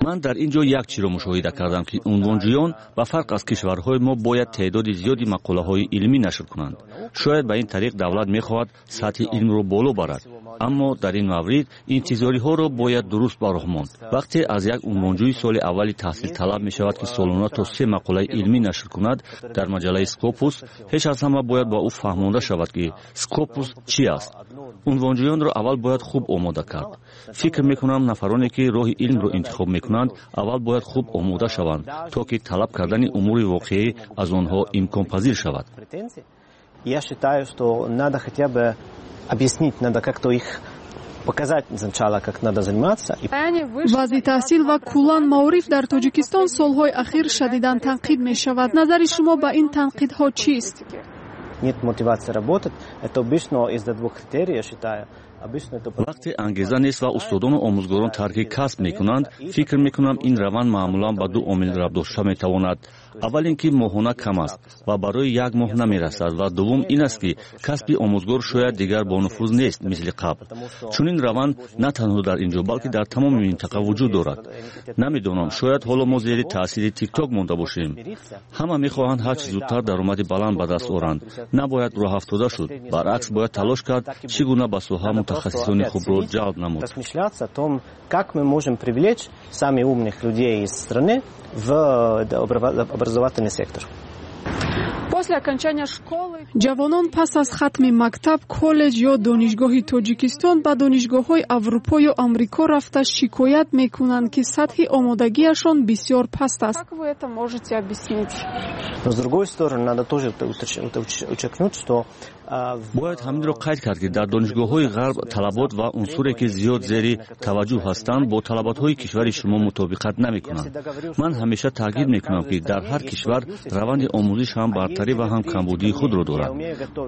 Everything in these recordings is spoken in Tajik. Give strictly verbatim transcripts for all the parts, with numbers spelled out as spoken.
Ман дар ин ҷо як чиро мушоҳида кардам, ки унвонҷӯён ба фарқ аз кишварҳои мо бояд теъдоди зиёди мақолаҳои илмӣ нашр кунанд. Шояд ба ин тариқ давлат мехоҳад сатҳи илмро боло барад, аммо дар ин маврид интизориҳоро бояд дуруст ба роҳ монд. Вақте аз як унвонҷӯи соли аввали таҳсил талаб мешавад, ки солона то се мақолаи илмӣ нашр кунад дар маҷаллаи Скопус, пеш аз ҳама бояд ба ӯ фаҳмонда шавад, ки Скопус чӣ аст. Унвонҷӯёнро аввал бояд хуб омода кард. Фикр мекунам, нафароне ки роҳи илмро интихоб мекунанд, аввал бояд хуб омода шаванд, то ки талаб кардани умури воқеӣ аз онҳо имконпазир шавад. Я считаю, что надо хотя бы объяснить, надо как-то их показать сначала, как надо заниматься. Вазъи таҳсил ва куллан маориф дар Тоҷикистон солҳои ахир шадидан танқид мешавад. Назари шумо ба ин танқидҳо чист? Нет мотивации работать. Это обычно из-за двух критерий, я считаю. Вақте ангеза нест ва устодону омӯзгорон тарки касб мекунанд, фикр мекунам, ин раванд маъмулан ба ду омил рабт дошта метавонад. Аввал ин ки моҳона кам аст ва барои як моҳ намерасад, ва дуввум ин аст, ки касби омӯзгор шояд дигар бонуфуз нест, мисли қабл. Чунин раванд на танҳо дар ин ҷо, балки дар тамоми минтақа вуҷуд дорад. Намедонам, шояд ҳоло мо зери таъсири Тикток монда бошем. Ҳама мехоҳанд ҳарчи зудтар даромади баланд ба даст оранд. Набояд роҳафтода шуд, баръакс, бояд талош кард, чӣ гуна ба соҳа мутахассисони хубро ҷалб намуд. Размышляться о том, как мы можем привлечь самых умных людей из страны в образовательный сектор. После окончания школы ҷавонон пас аз хатми мактаб, коллеҷ ё донишгоҳи Тоҷикистон ба донишгоҳҳои Аврупо ё Амрико рафта шикоят мекунанд, ки сатҳи омодагиашон бисёр паст аст. Как вы это можете объяснить? Но, с другой стороны, надо тоже подчеркнуть, что Бояд ҳаминро қайд кард, ки дар донишгоҳҳои ғарб талабот ва унсуре, ки зиёд зери таваҷҷӯҳ ҳастанд, бо талаботҳои кишвари шумо мутобиқат намекунанд. Ман ҳамеша таъкид мекунам, ки дар ҳар кишвар раванди омӯзиш ҳам бартарӣ ва ҳам камбудии худро дорад.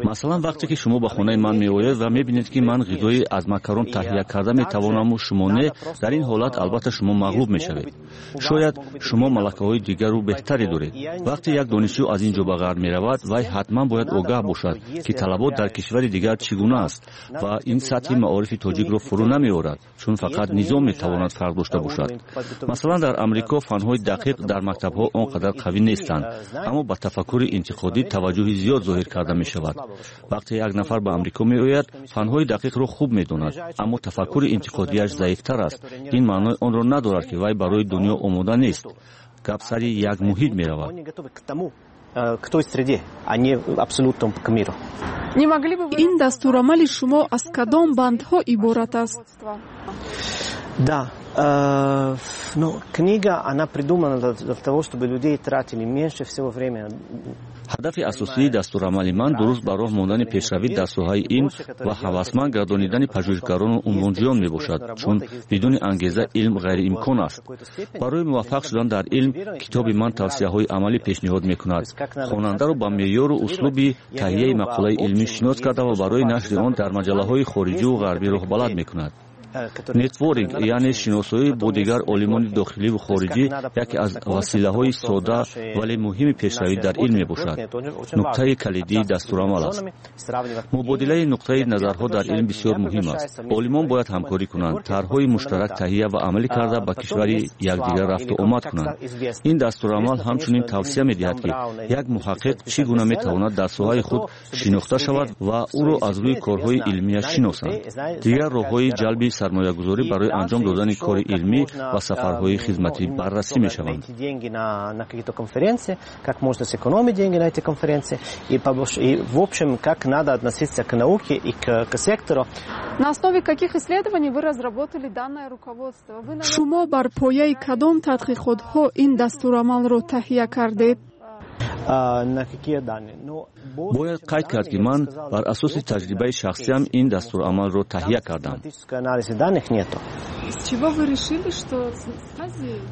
Масалан, вақте ки шумо ба хонаи ман меоед ва мебинед, ки ман ғизои аз макарон таҳия карда метавонаму шумо не, дар ин ҳолат албатта шумо мағлуб мешавед. Шояд шумо малакаҳои дигару беҳтаре доред. Вақте як донишҷӯ аз ин ҷо ба ғарб меравад, вай ҳатман бояд огаҳ бошад, ки талабот дар кишвари дигар чӣ гуна аст, ва ин сатҳи маорифи тоҷикро фурӯ намеорад, чун фақат низом метавонад фарқ дошта бошад. Масалан, дар Амрико фанҳои дақиқ дар мактабҳо он қадар қавӣ нестанд, аммо ба тафаккури интиқодӣ таваҷҷӯҳи зиёд зоҳир карда мешавад. Вақте як нафар ба Амрико меояд, фанҳои дақиқро хуб медонад, аммо тафаккури интиқодиаш заифтар аст. Ин маънои онро надорад, ки вай барои дунё омода нест. Гап сари як муҳит меравад. К той среде, а не абсолютно к миру. Не могли бы вы Ин дастурамали шумо аз кадом бандҳо иборат аст? Да, э, ну, книга, она придумана для, для того, чтобы людей тратили меньше всего времени. Ҳадафи асосии дастурамали ман дуруст ба роҳ мондани пешравӣ дар соҳаи илм ва ҳавасманд гардонидани пажӯҳишгарону унвонҷӯён мебошад, чун бидуни ангеза илм ғайриимкон аст. Барои муваффақ шудан дар илм китоби ман тавсияҳои амалӣ пешниҳод мекунад, хонандаро ба меъёру услуби таҳияи мақолаи илмӣ шинос карда ва барои нашри он дар маҷаллаҳои хориҷиву ғарбӣ роҳбалад мекунад. Нетворкинг, яъне шиносоӣ бо дигар олимони дохиливу хориҷӣ, яке аз василаҳои сода, вале муҳими пешравӣ дар илм мебошад. Нуктаи калидии дастурамал аст. Мубодилаи нуқтаи назарҳо дар илм бисёр муҳим аст. Олимон бояд ҳамкорӣ кунанд, тарҳҳои муштарак таҳия ва амалӣ карда, ба кишвари якдигар рафту омад кунанд. Ин дастурамал ҳамчунин тавсия медиҳад, ки як муҳаққиқ чӣ гуна метавонад дар соҳаи худ шинохта шавад ва ӯро аз рӯи корҳои илмияш шиносанд. Дигар роҳҳои ҷалби сармоягузорӣ барои анҷом додани кори илмӣ ва сафарҳои хизматӣ баррасӣ мешаванд. Как можно сэкономить деньги на эти конференции и, и в общем, как надо относиться к науке и к, к сектору. На основе каких исследований вы разработали данное руководство? Вы, Шумо бар пояи кадом тадқиқотҳо ин дастурамалро таҳия кардед? На какие данные? Ну, Бояд қайд кард, ки ман бар асоси таҷрибаи шахсиам ин дастурамалро таҳия кардам. Анализа данных нету. С чего вы решили, что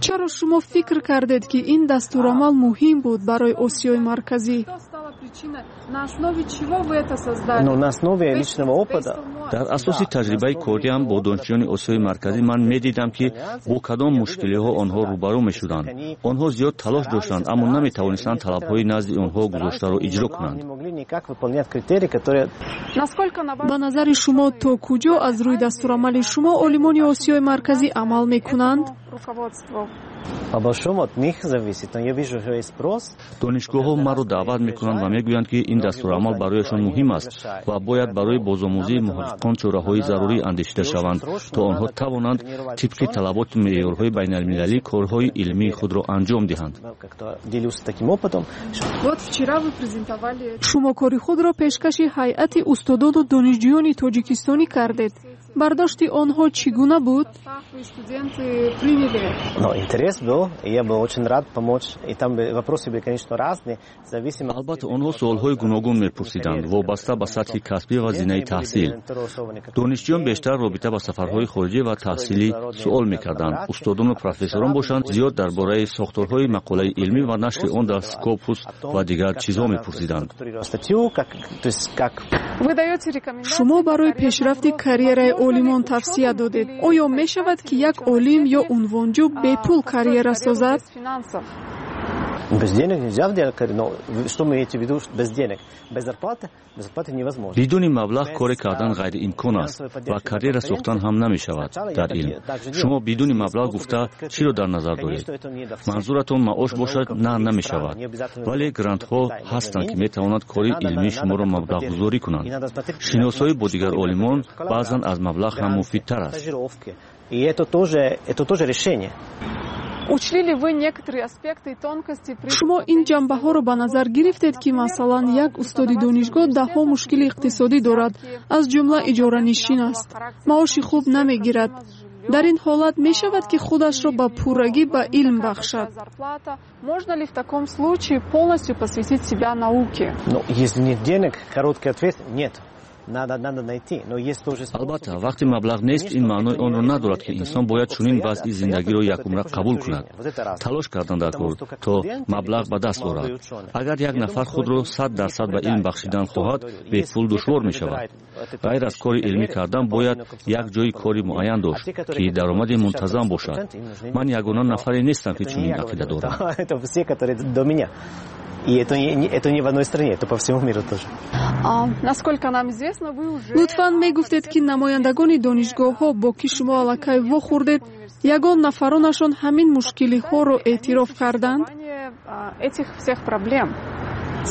Чаро шумо фикр кардед, ки ин дастурамал муҳим буд барои Осиёи Марказӣ? На основе чего вы это создали? Ну, на основе личного опыта. Дар асоси таҷрибаи кориам бо донишҷӯёни Осиёи Марказӣ ман медидам, ки бо кадом мушкилиҳо онҳо рӯбарӯ мешуданд. Онҳо зиёд талош доштанд, аммо наметавонистанд талабҳои назди онҳо гузоштаро иҷро кунанд. Ба назари шумо, то куҷо аз рӯи дастурамали шумо олимони Осиёи Марказӣ амал мекунанд? Руководству. По большому от них зависит, но я вижу, что есть спрос. Донишгоҳҳо маро даъват мекунанд ва мегӯянд, ки ин дастурамал барояшон муҳим аст ва бояд барои бозомӯзии муҳаққиқон чораҳои зарурӣ андешида шаванд, то онҳо тавонанд тибқи талаботу меъёрҳои байналмилалӣ корҳои илмии худро анҷом диҳанд. Делюсь таким опытом. Вот вчера вы презентовали. Шумо кори худро пешкаши ҳайати устодону донишҷӯёни тоҷикистонӣ кардед. Бардошти онҳо чӣ гуна буд? Студенты приняли. Но интерес был, и я был очень рад помочь. И там вопросы были, конечно, разные, зависимо. Албатта, онҳо суолҳои гуногун мепурсиданд, вобаста ба сатҳи касбӣ ва зинаи таҳсил. Донишҷӯён бештар робита ба сафарҳои хориҷӣ ва таҳсилӣ суол мекарданд. Устодону профессорон бошанд, зиёд дар бораи сохторҳои мақолаи илмӣ ва нашри он дар Скопус ва дигар чизҳо мепурсиданд. Шумо барои пешрафти карьераи олимон тавсия додед. Оё мешавад, ки як олим ё унвонҷӯ бепул карьера созад? Без денег нельзя делать карьеру. Но что мы имеете в виду без денег? Без зарплаты? Без зарплаты невозможно. Бидуни маблағ коре кардан ғайриимкон аст ва карьера сохтан ҳам намешавад дар илм. Шумо бидуни маблағ гуфта чиро дар назар доред? Манзуратон маош бошад, на, намешавад. Вале грантҳо ҳастанд, ки метавонанд кори илмии шуморо маблағгузорӣ кунанд. Шиносоӣ бо дигар олимон баъзан аз маблағ ҳам муфидтар аст. И это тоже, это тоже решение. Учли ли вы некоторые аспекты и тонкости при Шумо ин ҷанбаҳоро ба назар гирифтед, ки масалан як устоди донишгоҳ даҳҳо мушкили иқтисодӣ дорад, аз ҷумла иҷоранишин аст, маоши хуб намегирад. Дар ин ҳолат мешавад, ки худашро ба пуррагӣ ба илм бахшад? Можно ли в таком случае полностью посвятить себя науке? Ну, если нет денег, короткий ответ – нет. Надо, надо найти. Но есть тоже Албатта, вақте маблағ нест, ин маънои онро надорад, ки инсон бояд чунин вазъи зиндагиро якумра қабул кунад. Талош кардан дар кор, то маблағ ба даст орад. Агар як нафар худро сад дарсад ба илм бахшидан хоҳад, бепул душвор мешавад. Ғайр аз кори илмӣ кардан бояд як ҷои кори муайян дошт, ки даромади мунтазам бошад. Ман ягона нафаре нестам, ки чунин ақида дорам. Это все, которые до меня. И это не, это не в одной стране, это по всему миру тоже. Насколько нам известно, вы уже. Лутфан, мегуфтед, ки намояндагони донишгоҳҳо, бо ки шумо аллакай вохӯрдед, ягон нафаронашон ҳамин мушкилиҳоро эътироф карданд? Этих всех проблем.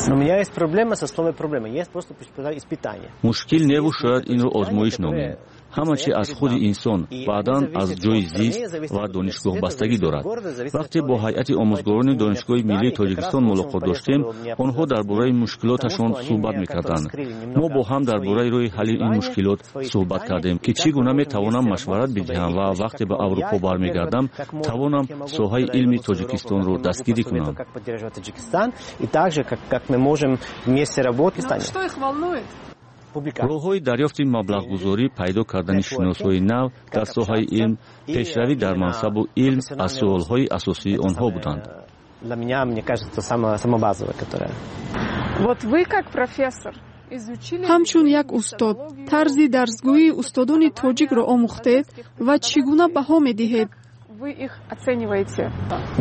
Но у меня есть проблема со словом «проблема». Есть просто испытание. Мушкил неву, шояд инро озмоиш номем. Ҳама чи аз худи инсон, баъдан аз ҷои зист ва донишгоҳ бастагӣ дорад. Вақте бо ҳайати омӯзгорони Донишгоҳи миллии Тоҷикистон мулоқот доштем, онҳо дар бораи мушкилоташон суҳбат мекарданд. Мо бо ҳам дар бораи роҳи ҳалли ин мушкилот суҳбат кардем, ки чӣ гуна метавонам машварат бидиҳам ва вақте ба Аврупо бармегардам, тавонам соҳаи илми Тоҷикистонро дастгирӣ кунам. И также, как, как мы можем вместе работать. Что их волнует? Роҳҳои дарёфти маблағгузорӣ, пайдо кардани шиносҳои нав дар соҳаи илм, пешравӣ дар мансабу илм аз суолҳои асосии онҳо буданд. Для меня, мне кажется, самое, самое базовое, которое. Вот вы как профессор изучили. Ҳамчун як устод тарзи дарсгӯии устодони тоҷикро омӯхтед ва чӣ гуна баҳо медиҳед? Вы их оцениваете?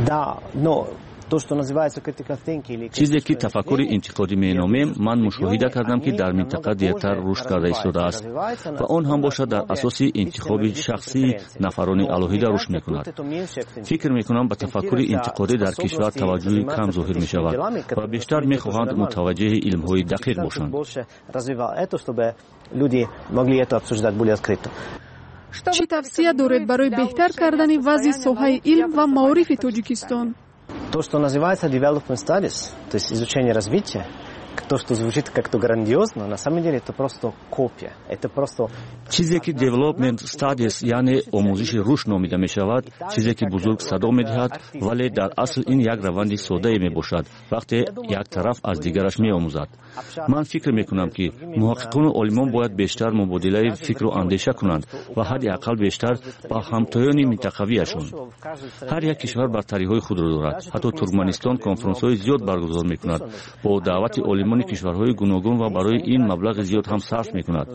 Да, но то, что называется critical thinking или Чизе ки тафаккури интиқодӣ меномем, ман мушоҳида кардам, ки дар минтақа дертар рушд карда истодааст ва он ҳам бошад дар асоси интихоби шахсии нафарони алоҳида рушд мекунад. Фикр мекунам, ба тафаккури интиқодӣ дар кишвар таваҷҷӯҳи кам зоҳир мешавад ва бештар мехоҳанд мутаваҷҷеҳи илмҳои дақиқ бошанд. Люди могли это обсуждать более открыто. Чӣ тавсия доред барои беҳтар кардани вазъи соҳаи илм ва маорифи Тоҷикистон? То, что называется development studies, то есть изучение развития, то, что звучит как-то грандиозно, на самом деле это просто копия. Это просто. Чизе ки development studies, яъне омӯзиши рушд номида мешавад, чизе ки бузург садо медиҳад, вале дар асл ин як раванди соддае мебошад, вақте як тараф аз дигараш меомӯзад. Ман фикр мекунам, ки муҳаққиқону олимон бояд бештар мубодилаи фикру андеша кунанд ва ҳадди ақал бештар ба ҳамтоёни минтақавиашон. Ҳар як кишвар бартариҳои худро дорад. Ҳатто Туркманистон конфронсҳои зиёд баргузор мекунад бо даъвати олимон. Олимони кишварҳои гуногун ва барои ин маблағи зиёд ҳам сарф мекунад.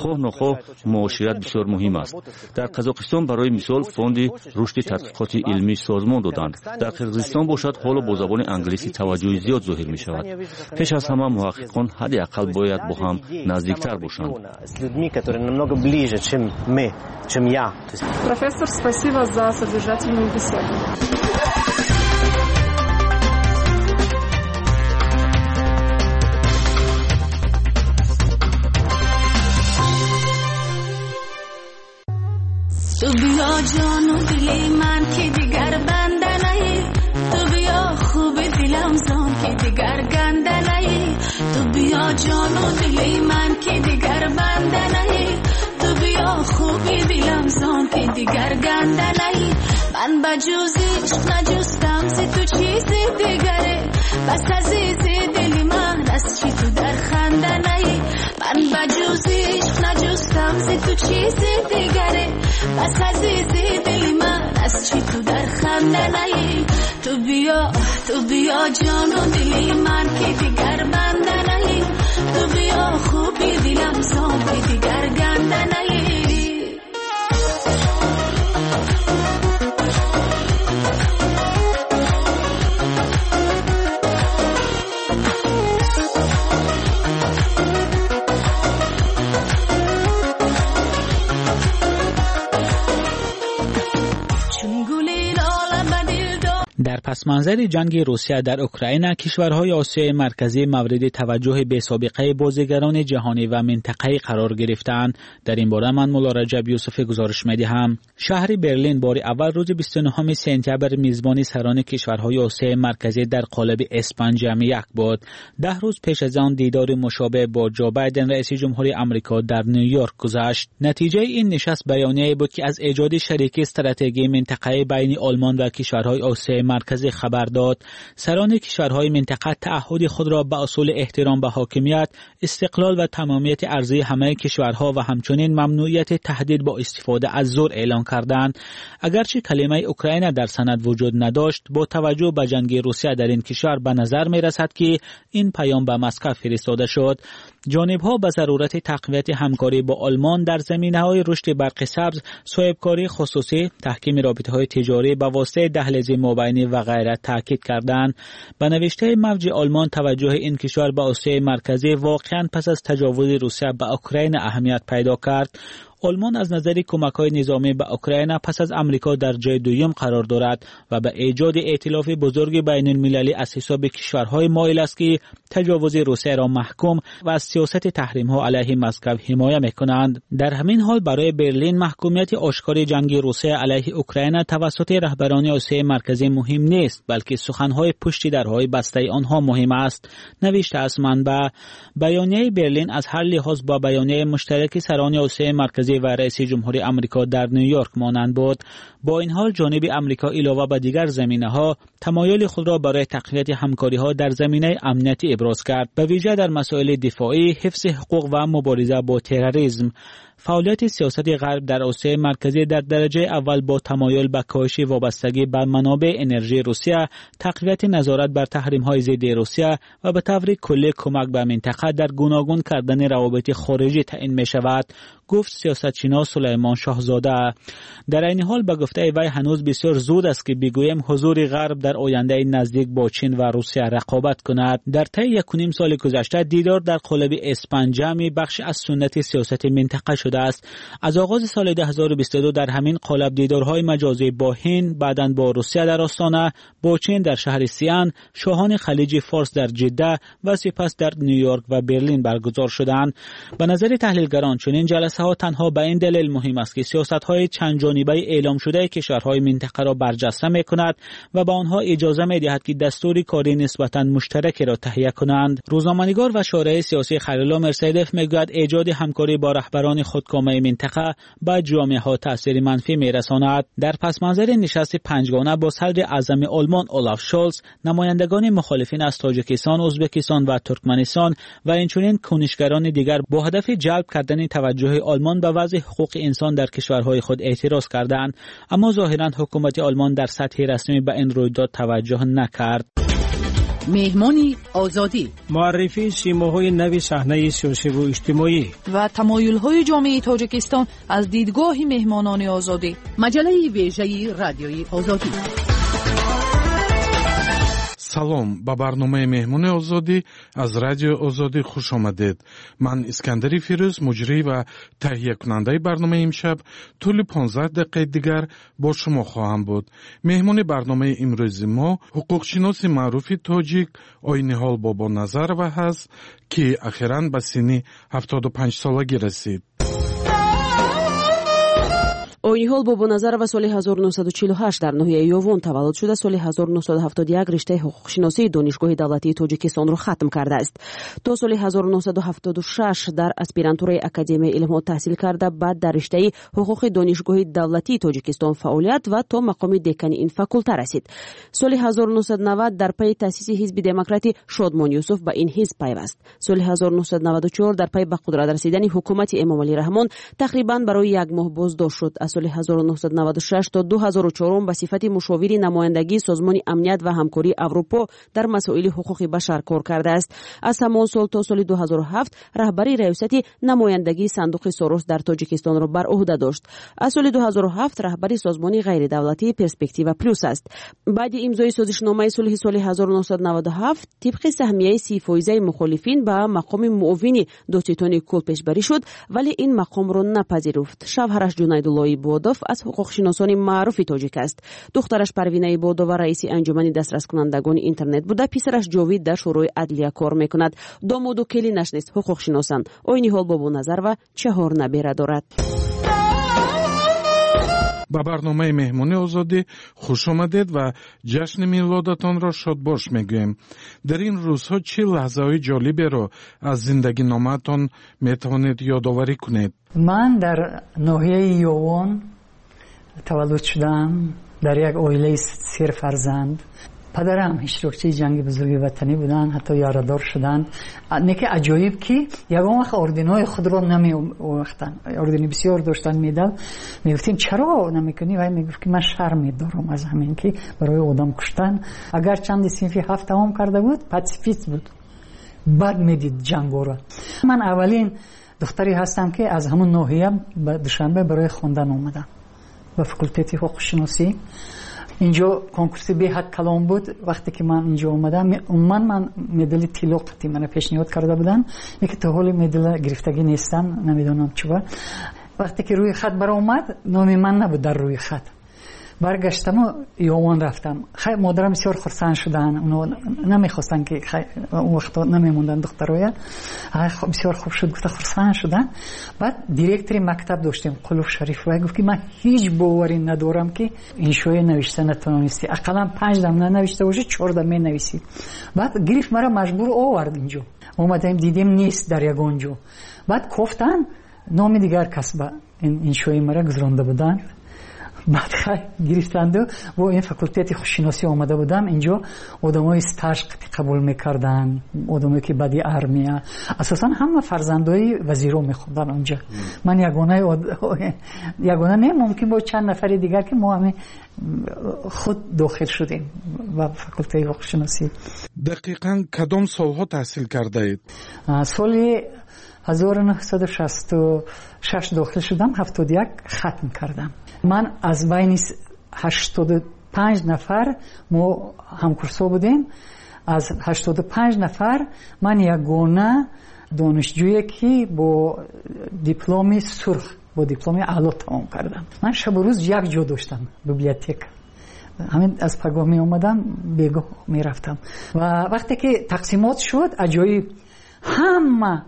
Хоҳ нохоҳ муошират бисёр муҳим аст. Дар Қазоқистон барои мисол фонди рушди тадқиқоти илмӣ созмон доданд. Дар Қирғизистон бошад ҳоло бо забони англисӣ таваҷҷӯҳи зиёд зоҳир мешавад. Пеш аз ҳама муҳаққиқон ҳадди ақал бояд бо ҳам наздиктар бошанд. Профессор, спасибо за содержательную беседу. تو بیا جان و دلی من که دیگر بنده نهی، تو بیا خوب دلم زان که دیگر گنده نهی، تو بیا جان و دلی من که دیگر بنده نهی، تو بیا خوب دلم زان که دیگر گنده نهی. من بجز عشق نجستم ز تو چیز دیگره، بس عزیز دلی من از چی تو در خنده نهی. من بجز عشق نجستم ز تو چیز دیگره، بس عزیز دلی من از چی تو در خنده نهی. تو بیا تو بیا جان و دلی من که دیگر بنده نهی، تو بیا خوبی دلم زان که دیگر گنده نهی. در پس منظر جنگ روسیه در اوکراین، کشورهای آسیای مرکزی مورد توجه بی‌سابقه بازیگران جهانی و منطقه‌ای قرار گرفتند. در این باره من مولا رجب یوسف گزارش می‌دهم. شهر برلین بار اول روز بیست و نهم سپتامبر میزبان سران کشورهای آسیای مرکزی در قالب اس پنج جمع یک بود. ده روز پیش از آن دیدار مشابه با جو بایدن رئیس جمهوری آمریکا در نیویورک گذشت. نتیجه این نشست بیانیه‌ای بود که از ایجاد شریک استراتژیک منطقه‌ای بین آلمان و کشورهای آسیای مرکزی خبر داد. سران کشورهای منطقه تعهد خود را به اصول احترام به حاکمیت، استقلال و تمامیت ارضی همه کشورها و همچنین ممنوعیت تهدید با استفاده از زور اعلان کردند. اگرچه کلمه اوکراین در سند وجود نداشت، با توجه به جنگ روسیه در این کشور به نظر می رسد که این پیام به مسکو فرستاده شد. جانب‌ها به ضرورت تقویت همکاری با آلمان در زمینه‌های رشد برق سبز، صاحبکاری خصوصی، تحکیم رابطه‌های تجاری به واسطه دهلیز مابینی و غیره تاکید کردند. به نوشته موج آلمان، توجه این کشور به آسیای مرکزی واقعاً پس از تجاوز روسیه به اوکراین اهمیت پیدا کرد. آلمان از نظر کمک‌های نظامی به اوکراین پس از آمریکا در جای دوم قرار دارد و به ایجاد ائتلاف بزرگ بین المللی از حساب کشورهای مایل است که تجاوز روسیه را محکوم و از سیاست تحریم‌ها علیه مسکو حمایت می‌کنند. در همین حال برای برلین محکومیت آشکار جنگ روسیه علیه اوکراین توسط رهبران آسیای مرکزی مهم نیست، بلکه سخن‌های پشت درهای بسته آنها مهم است. نوشته است منبع. بیانیه برلین از هر لحاظ با بیانیه مشترک سران آسیای مرکزی و رئیس جمهوری آمریکا در نیویورک مانند بود. با این حال جانب آمریکا علاوه بر دیگر زمینه‌ها تمایل خود را برای تقویت همکاری‌ها در زمینه امنیتی ابراز کرد، به ویژه در مسائل دفاعی، حفظ حقوق و مبارزه با تروریسم. فعالیت سیاست غرب در آسیای مرکزی در درجه اول با تمایل به کاهش وابستگی بر منابع انرژی روسیه، تقویت نظارت بر تحریم‌های ضد روسیه و به طور کلی کمک به منطقه در گوناگون کردن روابط خارجی تعیین می‌شود، گفت سیاستشناس سلیمان شاهزاده. در این حال به گفته وی هنوز بسیار زود است که بگوییم حضور غرب در آینده نزدیک با چین و روسیه رقابت کند. در طی یک و نیم سال گذشته دیدار در قالب اس پنج جمع بخش از سنت سیاست منطقه شده است. از آغاز سال دو هزار و بیست و دو در همین قالب دیدارهای مجازی با هند، بعداً با روسیه در آستانه، با چین در شهر سیان، شاهان خلیج فارس در جده و سپس در نیویورک و برلین برگزار شدند. به نظر تحلیلگران چنین جلسه ها تنها به این دلیل مهم است که سیاست‌های چند جانبه اعلام شده کشورهای منطقه را برجسته می‌کند و به آنها اجازه می‌دهد که دستور کاری نسبتاً مشترکی را تهیه کنند. روزنامه‌نگار و شارع سیاسی خلیل مرسیدف می‌گوید ایجاد همکاری با رهبران خودکامه منطقه به جامعه‌ها تأثیر منفی می‌رساند. در پس منظر نشست پنجگانه با صدر اعظم آلمان اولاف شولز، نمایندگان مخالفین از تاجیکستان، ازبکستان و ترکمنستان و اینچنین کنشگران دیگر با هدف جلب کردن توجه آلمان به وضع حقوق انسان در کشورهای خود اعتراض کردند، اما ظاهراً حکومت آلمان در سطح رسمی به این رویداد توجه نکرد. Меҳмони Озодӣ. Муаррифии симоҳои нави саҳнаи сиёсиву иҷтимоӣ ва тамоюлҳои ҷомеаи Тоҷикистон аз дидгоҳи меҳмонони Озодӣ. Маҷаллаи вежаи Радиои Озодӣ. Салом, ба барномаи Меҳмони Озодӣ аз Радиои Озодӣ хуш омадед. Ман Искандари Фирӯз, муҷрӣ ва таҳиякунандаи барномаи имшаб, тӯли понздаҳ дақиқаи дигар бо шумо хоҳам буд. Меҳмони барномаи имрӯзи мо ҳуқуқшиноси маъруфи тоҷик Ойниҳол Бобоназарова ҳаст, ки ахиран ба синни ҳафтоду панҷ солагӣ расид. Ойниҳол Бобоназарова соли ҳазору нӯҳсаду чилу ҳашт дар ноҳияи Ёвон таваллуд шуда, соли ҳазору нӯҳсаду ҳафтоду як риштаи ҳуқуқшиносии Донишгоҳи давлатии Тоҷикистонро хатм кардааст. То соли ҳазору нӯҳсаду ҳафтоду шаш дар аспирантураи Академияи илмҳо таҳсил карда, баъд дар риштаи ҳуқуқи Донишгоҳи давлатии Тоҷикистон фаъолият ва то мақоми декани ин факулта расид. Соли ҳазору нӯҳсаду навад дар пайи таъсиси ҳизби демократи Шодмон Юсуф ба ин ҳизб пайваст. Соли ҳазору нӯҳсаду наваду чор дар пайи ба қудрат расидани ҳукумати Эмомалӣ Раҳмон тақрибан барои як моҳ боздошт шуд. Аз соли ҳазору нӯҳсаду наваду шаш то ду ҳазору чорум ба сифати мушовири намояндагии Созмони амният ва ҳамкории Аврупо дар масоили ҳуқуқи башар кор кардааст. Аз ҳамон сол то соли ду ҳазору ҳафт раҳбари раёсати намояндагии сандуқи Сорос дар Тоҷикистонро бар уҳда дошт. Аз соли ду ҳазору ҳафт раҳбари созмони ғайридавлатии Перспектива Плюс аст. Баъди имзои созишномаи сулҳи соли ҳазору нӯҳсаду наваду ҳафт тибқи саҳмияи си фоизаи мухолифин ба мақоми муовини додситони кул пешбарӣ шуд, вале ин мақомро напазируфт. Шавҳараш Ҷунайдулло Ибодов аз ҳуқуқшиносони маъруфи тоҷик аст. Духтараш Парвина Ибодова раиси анҷумани дастраскунандагони интернет буда, писараш Ҷовид дар Шӯрои адлия кор мекунад. Домоду келинаш низ ҳуқуқшиносанд. Ойниҳол Бобоназарова чаҳор набера дорад. Ба барномаи Меҳмони Озодӣ хуш омадед ва ҷашни милодатонро шодбош мегӯем. Дар ин рӯзҳо чӣ лаҳзаҳои ҷолиберо аз зиндагиномаатон метавонед ёдоварӣ кунед? Ман дар ноҳияи Ёвон таваллуд шудам, дар як оилаи серфарзанд. Падарам иштирокчии ҷанги бузурги ватанӣ буданд, ҳатто ярадор шуданд. Не ки аҷоиб, ки ягон вақт орденҳои худро намеовахтанд. Ордени бисёр доштанд, медал. Мегуфтем чаро намекунӣ? Вай мегуфт, ки ман шарм медорам аз ҳамин, ки барои одам куштан. Агар чанди синфи ҳафт тамом карда буд, пацифист буд, бад медид ҷангоро. Ман аввалин духтаре ҳастам, ки аз ҳамон ноҳия ба Душанбе барои хондан омадам, ба факултети ҳуқуқшиносӣ. Инҷо конкурси беҳад калон буд. Вақте ки ман инҷо омадам, умуман ман медали тилло қатъи мана пешниҳод карда буданд, лекин то ҳоли медала гирифтагӣ нестам, намедонам чуба. Вақте ки рӯи хат баромад, номи ман набуд дар рӯи хат. Баргаштаму Ёвон рафтам. Хай, модарам бисёр хурсанд шуданд, оно намехостанд, ки он вақто намемонданд духтароя. Бисёр хуб шуд, гуфта хурсанд шуданд. Баъд директори мактаб доштем, Қулуф Шариф, вай гуфт, ки ман ҳеҷ боварӣ надорам, ки иншоя навишта натавонистӣ, ақаллан панҷ дам нанавишта бошӣ, чор дам менависӣ. Баъд гирифт мара маҷбур овард инҷо. Омадаем, дидем нест дар ягон ҷо. Баъд кофтан, номи дигар кас ба иншои мара гузаронда буданд. Баъд хай гирифтанду бо ин факултети хушшиносӣ омада будам. Инҷо одамои стаж қабул мекарданд, одамое ки баъди армия, асосан ҳама фарзандои вазиро мехонданд онҷа. Ман ягона ягона не, мумкин бо чанд нафари дигар, ки мо ҳамин худ дохил шудем ба факултети ҳуқуқшиносӣ. Дақиқан кадом солҳо таҳсил кардаед? Соли ҳазору нӯҳсаду шасту шаш дохил шудам, ҳафтоду як хатм кардам. Ман аз байни ҳаштоду панҷ нафар мо ҳамкурсҳо будем, аз ҳаштоду панҷ нафар ман ягона донишҷӯе, ки бо дипломи сурх, бо дипломи аъло тамом кардам. Ман шабу рӯз як ҷо доштам, библиотека. Ҳамин аз пагоҳ меомадам, бегоҳ мерафтам. Ва вақте ки тақсимот шуд, аҷоиб, ҳама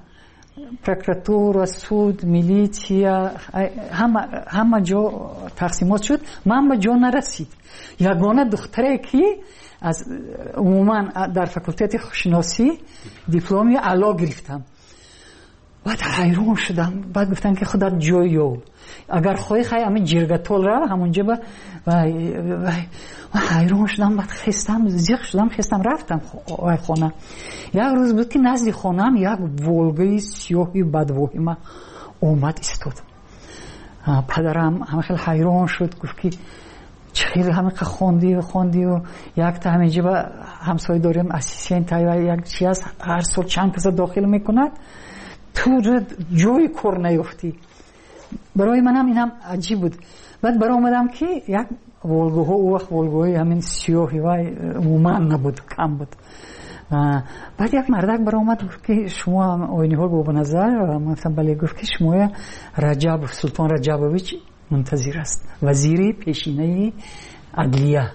прокуратура, суд, милитсия, ҳама ҳама ҷо тақсимот шуд. Ман ба ҷо нарасид. Ягона духтаре, ки аз умуман дар факултети хушшиносӣ дипломи аъло гирифтам. Баъд ҳайрон шудам. Баъд гуфтам, ки худат ҷой ёб, агар хоҳӣ, хай ҳамин ҷиргатол рав, ҳамонҷо ба. Ҳайрон шудам. Баъд хестам, зиқ шудам, хестам, рафтам вай хона. Як рӯз буд, ки назди хонаам як Волгаи сиёҳи бадвоҳима омад истод. Падарам ҳама хел ҳайрон шуд, гуфт, ки Чӣ хеле ҳамиқа хондию хондию якта ҳаминҷа ба ҳамсоя дорем, ассистент як чи аст, ҳар сол чанд каса дохил мекунад, ту ҷои кор наёфтӣ. Барои манам инам аҷиб буд. Баъд баромадам, ки як Волгаҳо, ӯ вақт Волгаҳои ҳамин сиёҳи вай умуман набуд, кам буд. Баъд як мардак баромад, гуфт, ки шумо Ойниҳол Бобоназар? Ман гуфтам, бале. Гуфт, ки шумоя Раҷабов, Султон Раҷабович мунтазир аст, вазири пешинаи адлия.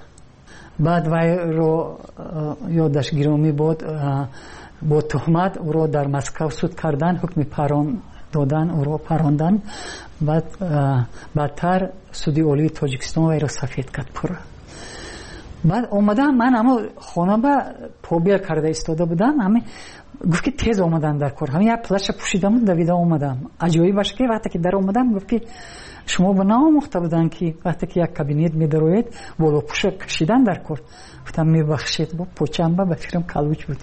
Баъд вайро, ёдаш гиромӣ бод, бо туҳмат ӯро дар Москав суд кардан, ҳукми парон додан, ӯро парондан. Баъд баъдтар Суди Олии Тоҷикистон вайро сафед кард пурра. Баъд омадам, ман амо хона ба побел карда истода будам, ҳами гуфт, ки тез омадан дар кор. Ҳами як плаща пӯшидаму давида омадам. Аҷоибаш, ки вақте ки дар омадам, гуфт, ки шумо ба наомӯхта буданд, ки вақте ки як кабинет медароед, болопӯша кашидан дар кор. Гуфтам, мебахшед, бо почамба ба фикрам калуч буд.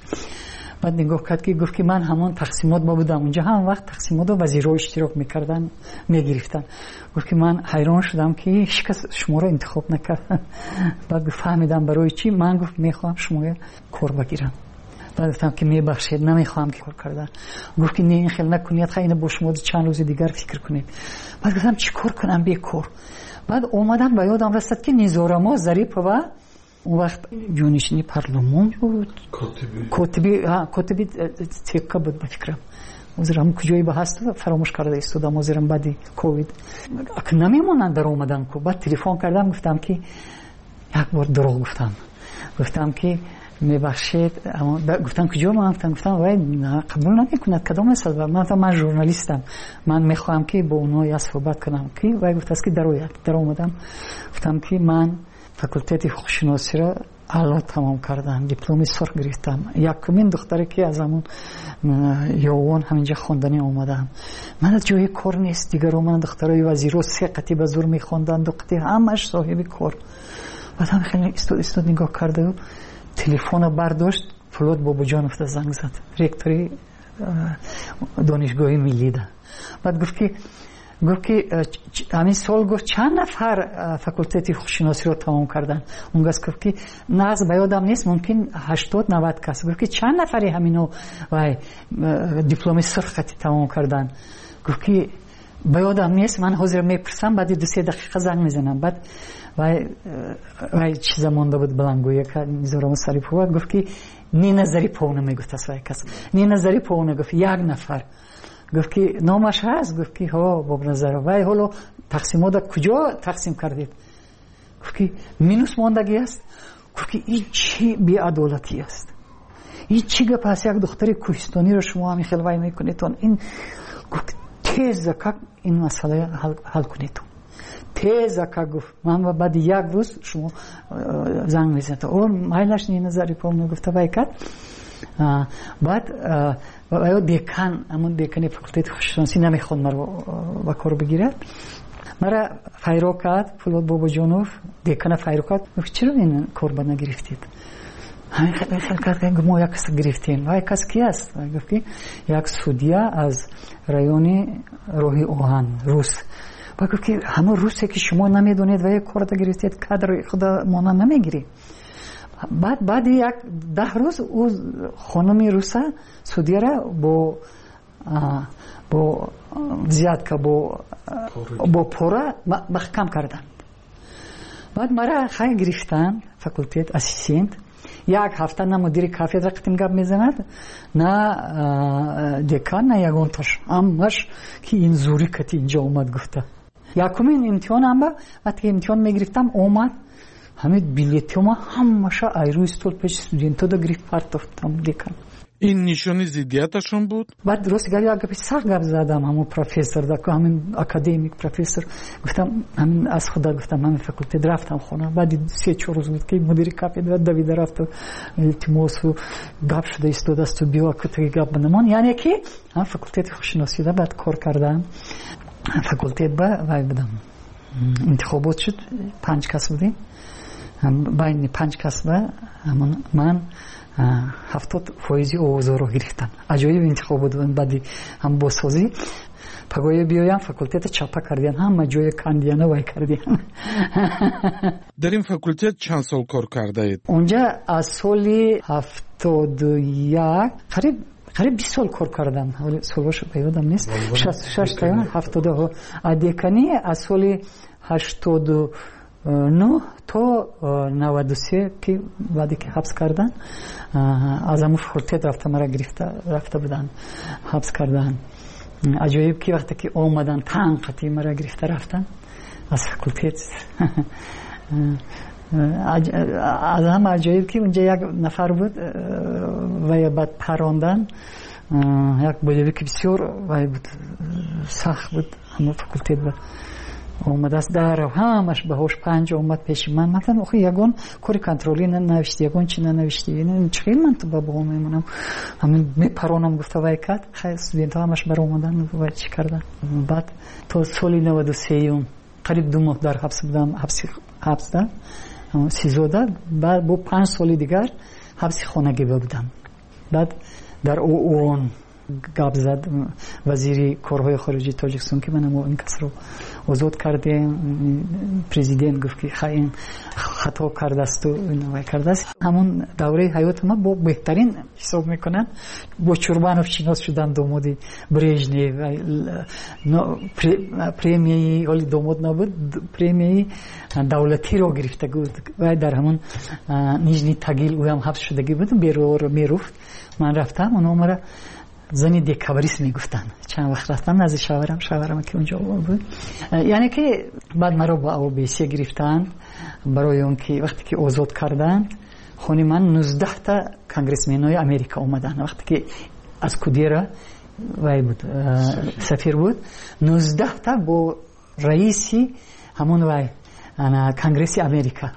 Баъд нигоҳ кард, ки гуфт, ки ман ҳамон тақсимот ба будам унҷа, ҳам вақт тақсимотро вазирҳо иштирок мекардан, мегирифтанд. Гуфт, ки ман ҳайрон шудам, ки ҳеҷ кас шуморо интихоб накард. Баъд гуфт, фаҳмидам барои чӣ. Ман, гуфт, мехоҳам шумоя кор багирам. Баъд гуфтам, ки мебахшед, намехоҳам ки кор кардан. Гуфт, ки не, ин хел накунед, хай ина бо шумо чанд рӯзи дигар фикр кунед. Баъд гуфтам, чӣ кор кунам бекор? Баъд омадам, ба ёдам расад, ки Низорамо Зарипова он вақт ҷонишини парлумон буд, котиби котиби ЦК буд, ба фикрам. Ҳозир ҳам куҷое ба ҳаст, фаромӯш карда истодам, ҳозирам баъди ковид намемонанд дар омадан ку. Баъд телефон кардам, гуфтам, ки як бор дурӯғ гуфтам, гуфтам, ки мебахшед. Гуфтам, куҷо? Ман гуфтам гуфтам вай қабул намекунад, кадом аст? Ман гуфтам, ман журналистам, ман мехоҳам, ки бо онҳо як суҳбат кунам. Ки вай гуфтааст, ки дарояд. Даромадам, гуфтам, ки ман факултети ҳуқуқшиносиро аъло тамом кардам, дипломи сурх гирифтам, якумин духтаре, ки аз ҳамон Ёвон ҳаминҷа хонданӣ омадам. Ман ҷои кор нест. Дигаро ман духтарои вазиро се қатӣ ба зур мехонданд, ду қатӣ, ҳамаш соҳиби кор. Баъд ҳам хеле истод, истод, нигоҳ карда, телефона бардошт, Пулод Бобоҷонов занг зад, ректори Донишгоҳи миллида. Баъд гуфт, ки гуфт, ки ҳамин сол, гуфт, чанд нафар факултети ҳуқуқшиносиро тамом карданд? Он кас гуфт, ки нағз ба ёдам нест, мумкин ҳаштод навад кас. Гуфт, ки чанд нафари ҳамино вай дипломи сурх қати тамом карданд? Гуфт, ки ба ёдам нест, ман ҳозир мепурсам, баъди ду се дақиқа занг мезанам. Баъд вай вай чиза монда буд, баландгӯяка. Низорамо Сарипова гуфт, ки Нина Зариповна мегуфтааст вай кас, Нина Зариповна гуфт, як нафар. Гуфт, ки номаш ҳаст? Гуфт, ки ҳо, Бобназаров. Вай ҳоло тақсимота куҷо тақсим кардед? Гуфт, ки минус мондагӣ аст. Гуфт, ки ин чӣ беадолатӣ аст, ин чӣ гап аст, як духтари кӯҳистониро шумо ҳамин хел вай мекунедон. Ин, гуфт, теза как ин масъала ҳал кунедон, теза как. Гуфт, ман баъди як рӯз шумо занг мезанед. О, майлаш, Нина Зариповна гуфта вай кард. Баъд ё декан, ҳамон декани факултети ҳуқуқшиносӣ намехонд маро ба кор бигирад. Мара файро кард Пулод Бобоҷонов, декана файро кард, гуфт, чаро ин кор ба нагирифтед? Ҳамин хел кард, мо як кас гирифтем. Вай кас ки аст? Гуфт, ки як судья аз райони роҳи оҳан, рус. Ва гуфт, ки ҳамон русе, ки шумо намедонед, вай корда гирифтед, кадри худа мона намегирӣ. Баъд баъди як даҳ рӯз ӯ хонуми руса, судьяра, бо бо взятка, бо бо пора маҳкам карданд. Баъд мара хай гирифтанд факултет ассистент. Як ҳафта на мудири кафедра қатим гап мезанад, на декан, на ягонташ, ҳамаш ки ин зури кати инҷа омад гуфта. Якумин имтиҳонам ба вақте имтиҳон мегирифтам, омад, ҳамин билетҳома ҳамаша ай рӯи стол пеши студентода гирифт, партофтам декан. Ин нишони зиддияташон буд? Баъд рости гап, як гапи сахт гап задам ҳамон профессор, ҳамин академик, профессор. Гуфтам, ҳамин аз худа гуфтам, ҳамин факултет рафтам хона. Баъди се чор рӯз буд, ки мудири кафедра давида рафту илтимосу гап шуда истодасту, биё кутаги гап бинамон. Яъне ки ҳам факултети ҳуқуқшиносида баъд кор кардам. Факултет ба вай будам, интихобот шуд, панҷ кас будем. Байни панҷ касба ман ҳафтод фоизи овозҳоро гирифтам. Аҷоиб интихоб буд баъди ҳам бозсозӣ. Пагоҳе биёям, факултета чапа кардиян, ҳама ҷоя кандияна вай кардиян. Дар ин факултет чанд сол кор кардаед? Онҷа аз соли ҳафтоду як қариб қариб бист сол кор кардам. Солҳошо ба ёдам нест. Шасту шаш та ҳафтоду деканӣ аз соли ҳаштоду нӯҳ то наваду се, ки баъде ки ҳабс кардан, аз ҳамун факултет рафта мара гирифта рафта буданд, ҳабс кардан. Аҷоиб ки вақте ки омадан танқати мара гирифта рафтан аз факултет. Аз ҳама аҷоиб ки унҷа як нафар буд, вая баъд парондан, як боевики бисёр вай буд, сахт буд, ҳамон факултет буд. Омадааст дар ҳамаш баҳош панҷ омад пеши ман. Ман гуфтам, охи ягон кори контролӣ нанавиштӣ, ягон чи нанавиштӣ, чӣ хел ман ту ба баҳо мемонам? Ҳамин мепаронам гуфта вай кард. Хай студентҳо ҳамаш баромадан вай чӣ кардан. Баъд то соли наваду сеюм қариб ду моҳ дар ҳабс будам, ҳабси ҳабсда сизода. Баъд бо панҷ соли дигар ҳабси хонагӣ будам. Баъд дар ООН гап зад вазири корҳои хориҷии Тоҷикистон, ки ман ин касро озод кардем. Президент гуфт, ки хай ин хато кардасту вай кардааст. Ҳамон давраи ҳаёти ман бо беҳтарин ҳисоб мекунанд. Бо Чурбанов шинос шудам, домоди Брежнев. Премияи ҳоли домод набуд, премияи давлатиро гирифта буд. Вай дар ҳамон Нижний Тагил ӯям ҳабс шудагӣ буд, бероро меруфт. Ман рафтам, онҳо мара зани декабрист мегуфтанд. Чанд вақт рафтам назди шавҳарам, шавҳарам ки унҷо буд. Яъне ки баъд маро ба О Б С гирифтанд, барои он ки вақте ки озод карданд, хони ман нуздаҳта конгрессменои Америка омаданд. Вақте ки аз Кудера вай буд, сафир буд, нуздаҳта бо раиси ҳамон вай Конгресси Америка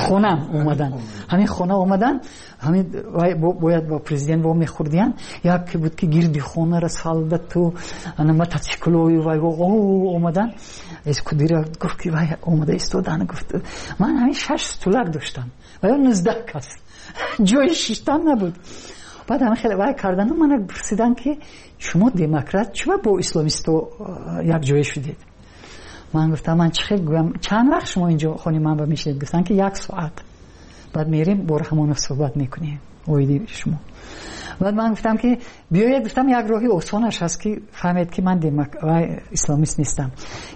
хонам омаданд. Ҳамин хона омаданд, ҳамин вай бояд бо президент во мехӯрдиянд. Яке буд ки гирди хонара солдату мотоциклою вай омаданд. Эскудира гуфт, ки вай омада истодан. Гуфт, ман ҳамин шаш стулак доштам ва ё нуздаҳ кас, ҷои шиштан набуд. Баъд ҳамин хеле вай кардану мана пурсиданд, ки шумо демократ, чума бо исломисто якҷоя шудед? Ман гуфтам, ман чӣ хел гӯям? Чанд вақт шумо инҷо хони ман ба мешинед? Гуфтанд, ки як соат, баъд мерем бо Раҳмонов суҳбат мекунем оиди шумо. Баъд ман гуфтам, ки биёед, гуфтам, як роҳи осонаш ҳаст, ки фаҳмед, ки ман исламист нестам.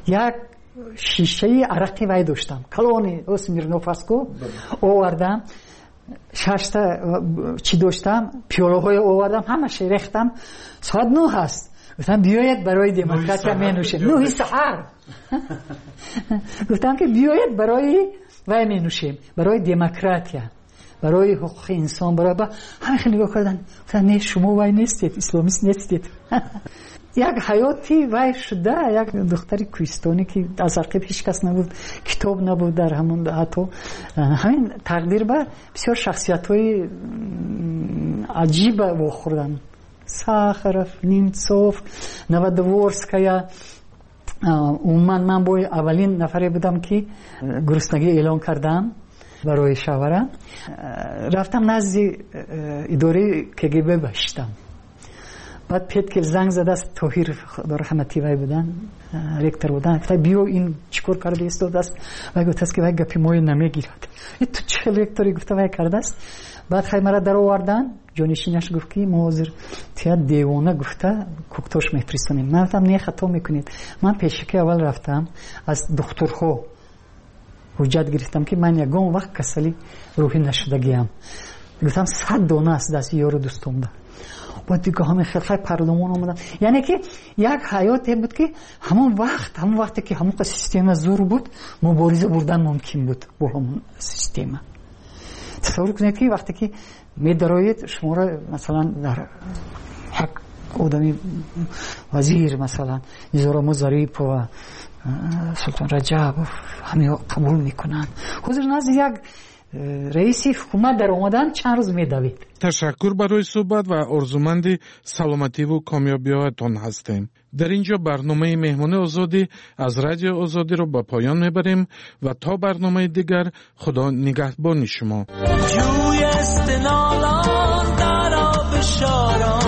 Як шишаи арақи вай доштам, калони Смирнов астку, овардам, шашта чӣ доштам, пиёлаҳое овардам, ҳамаша рехтам. Соат нӯҳ аст. Гуфтам, биёед барои демократия менӯшем. Нӯҳи саҳар. Гуфтам, ки биёед барои вай менӯшем, барои демократия, барои ҳуқуқи инсон, барои ҳама. Хеле нигоҳ кардан, гуфтам, не, шумо вай нестед, исломист нестед. Як ҳаёти вай шуда, як духтари кӯҳистонӣ, ки аз ақиб ҳеҷ кас набуд, китоб набуд дар ҳамон, ҳатто ҳамин тақдир ба бисёр шахсиятҳои аҷиба вохӯрдам: Сахаров, Немцов, Новодворская. Умуман ман бо аввалин нафаре будам, ки гуруснагӣ эълон кардам барои шавҳарам. Рафтам назди идораи К Г Б баштам. Баъд Петкел занг задааст, Тоҳир раҳматӣ вай будан, ректор будан. Гуфта, биё, ин чӣ кор карда истодааст? Вай гуфтааст, ки вай гапи моё намегирад, ту чӣ хел ректори, гуфта вай кардааст. Баъд хай мара даровардан. Ҷонишинаш гуфт, ки мо ҳозир тия девона гуфта Куктош мефиристонем. Ман гуфтам, не, хато мекунед. Ман пешаки аввал рафтам, аз духтурҳо ҳуҷҷат гирифтам, ки ман ягон вақт касали рӯҳӣ нашудагиам. Гуфтам, сад дона аст дасти ёру дӯстомда. Баъд дига ҳамин хел хай парлумон омадам. Яъне ки як ҳаёте буд, ки ҳамон вақт, ҳамон вақте ки ҳамон система зур буд, мубориза бурдан мумкин буд бо ҳамон система. Тасаввур кунед, ки вақте ки медароед, шуморо масалан дар як одами вазир, масалан Низорамо Зарипова, Султон Раҷабов, ҳамиҳо қабул мекунанд. Ҳозир назди як Раиси ҳукумат дар омадан чанд рӯз медавид. Ташаккур барои суҳбат ва орзуманди саломативу комёбиҳоятон ҳастем. Дар ин ҷо барномаи Меҳмони Озодӣ аз Радиои Озодиро ба поён мебарем ва то барномаи дигар Худо нигаҳбони шумо. جوی استنالان در آب شاران.